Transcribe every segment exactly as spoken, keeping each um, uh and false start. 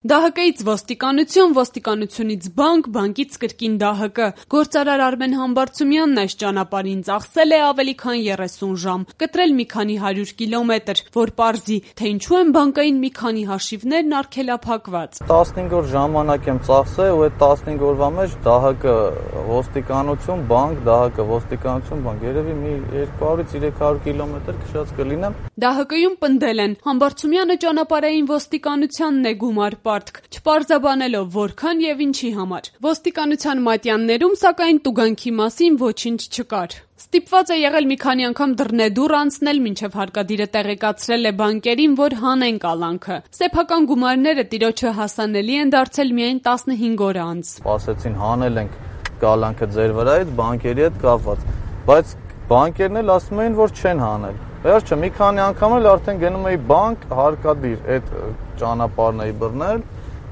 Դա հը կից ոստիկանություն, ոստիկանությունից բանկ, բանկից կրկին դա հը կը։ Գործարար Արմեն Համբարձումյանն այս ճանապարհին ծախսել է ավելի քան երեսուն ժամ, կտրել մի քանի հարյուր կիլոմետր, որ պարզի, թե ինչու են բանկային մի քանի հաշիվներն արգելափակված։ տասնհինգ օր ժամանակ եմ ծախսել ու այդ տասնհինգ օրվա մեջ դա հը կը ոստիկանություն, բանկ, դա հը կը ոստիկանություն, բանկ, երևի մի երկու հարյուրից երեք հարյուր կիլոմետր քշած կլինեմ։ Դա հը կյում պնդել են, Համբարձումյանը ճանապարհային ոստիկանությանն է գումար պարտք, չպարզաբանելով որքան եւ ինչի համար։ Ոստիկանության մատյաններում, սակայն տուգանքի մասին ոչինչ չկար։ Ստիպված է եղել մի քանի անգամ դռնեդուռ անցնել, մինչև հարկադիրը տեղեկացրել է բանկերին, որ հանեն կալանքը։ Սեփական գումարները տիրոջը հասանելի են դարձել միայն տասնհինգ օր անց։ Ասեցին հանել ենք կալանքը ձեր վրայից բանկերի հետ կապված, բայց բանկերն էլ ասում էին, որ չեն հանել։ Վերջը մի քանի անգամ էլ արդեն գնում էի բանկ, հարկադիր այդ ճանապարհն էի բռնել,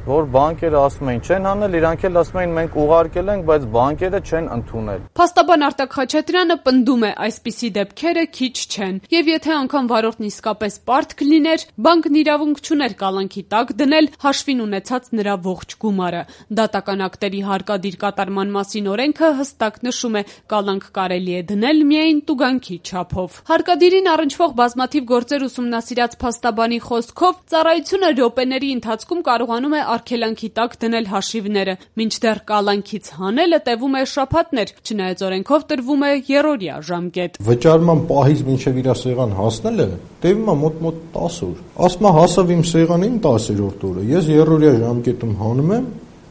որ բանկերը ասում էին չեն հանել, իրանք էլ ասում էին մենք ուղարկել ենք, բայց բանկերը չեն ընդունել։ Փաստաբան Արտակ Խաչատրյանը պնդում է, այսպիսի դեպքերը քիչ չեն, եւ եթե անգամ վարորդն իսկապես պարտք լիներ, բանկն իրավունք չուներ կալանքի տակ դնել հաշվին ունեցած նրա ողջ գումարը։ Դատական ակտերի հարկադիր կատարման մասին օրենքը հստակ նշում է, կալանք կարելի է դնել միայն տուգանքի չափով։ Հարկադիրին առնչվող բազմաթիվ գործեր ուսումնասիրած փաստաբանի խոսքով ծառայությունը րոպեների ընթացքում կարողանում է արգելանքի տակ դնել հաշիվները, մինչդեռ կալանքից հանելը տևում է շաբաթներ, չնայած օրենքով տրվում է եռօրյա ժամկետ։ Վճարման պահից մինչև իր սեղան հասնելը տևում է մոտ-մոտ տասը օր։ Ասում է հասավ իմ սեղանին տասերորդ օրը, ես եռօրյա ժամկետում հանում եմ,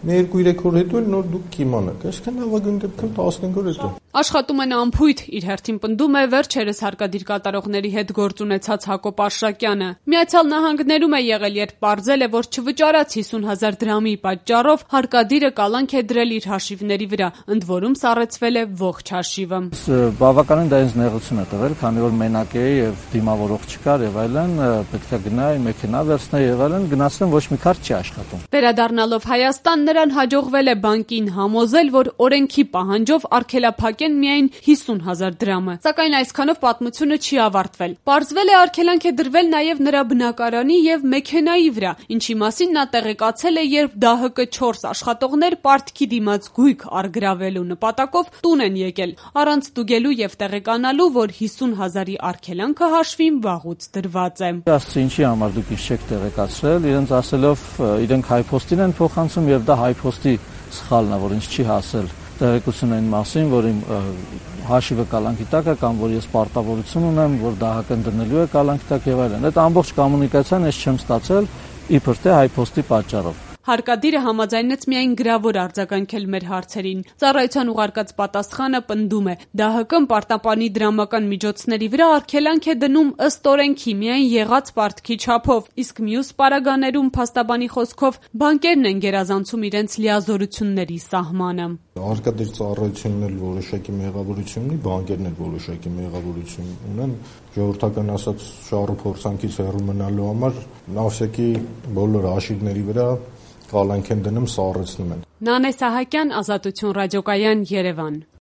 մի երկու-երեք օր հետո էլ նոր դուք կիմանաք, այսինքն լավագույն դեպքում տասնհինգ օր հետո։ Աշխատում են անփույթ, իր հերթին պնդում է վերջերս հարկադիր կատարողների հետ գործ ունեցած Հակոբ Արշակյանը։ Միացյալ Նահանգներում է եղել, երբ պարզել է, որ չվճարած հիսուն հազար դրամի պատճառով հարկադիրը կալանք է դրել իր հաշիվների վրա, ընդ որում սառեցվել է ողջ հաշիվը։ Բավականին դա ինձ նեղություն է տվել, քանի որ մենակ էի եւ դիմավորող չկար եւ այլն, պետք է գնայի մեքենա վերցնեի եւ այլն, գնացել ոչ մի քարտ չի աշխատում։ Վերադառնալով Հայաստան, նրան հաջողվել է բանկին համոզել, որ օրենքի պահանջով արգելափակեն միայն հիսուն հազար դրամը։ Սակայն այսքանով պատմությունը չի ավարտվել։ Պարզվել է արգելանք է դրվել նաև նրա բնակարանի եւ մեքենայի վրա, ինչի մասին նա տեղեկացել է, երբ դա հը կը չորս աշխատողներ պարտքի դիմաց գույք արգրավելու նպատակով տուն են եկել, առանց ստուգելու եւ տեղեկանալու, որ հիսուն հազարի արգելանքը հաշվին վաղուց դրված է։ Ասացի ինչի համար դուք ինձ չեք տեղեկացրել, իրենց ասելով իրենք հայփոստին են փոխանցում եւ դա հայփոստի սխալն է, որ ինձ չի հասել տեղեկություն այն մասին, որ իմ հաշիվը կալանքի տակ է կամ որ ես պարտավորություն ունեմ, որ դա հակն դնելու է կալանքի տակ եւ այլն։ Այդ ամբողջ կոմունիկացիան ես չեմ ստացել իբր թե հայփոստի պատճառով։ Հարկադիրը համաձայնեց միայն գրավոր արձագանքել մեր հարցերին։ Ծառայության ուղարկած պատասխանը պնդում է, դա հը կը պարտապանի դրամական միջոցների վրա արգելանք է դնում ըստ օրենքի միայն եղած պարտքի չափով, իսկ մյուս պարագաներում փաստաբանի խոսքով բանկերն են գերազանցում իրենց լիազորությունների սահմանը։ Հարկադիր ծառայությունն էլ որոշակի մեղավորություն ունի, բանկերն էլ որոշակի մեղավորություն ունեն, ժողովրդական ասած շահառու փորձանքից հեռու մնալու համար նավսեկի բոլոր հաշիվների վրա կալանք են դնում, սառեցնում են։ Նանե Սահակյան, Ազատություն ռադիոկայան, Երևան։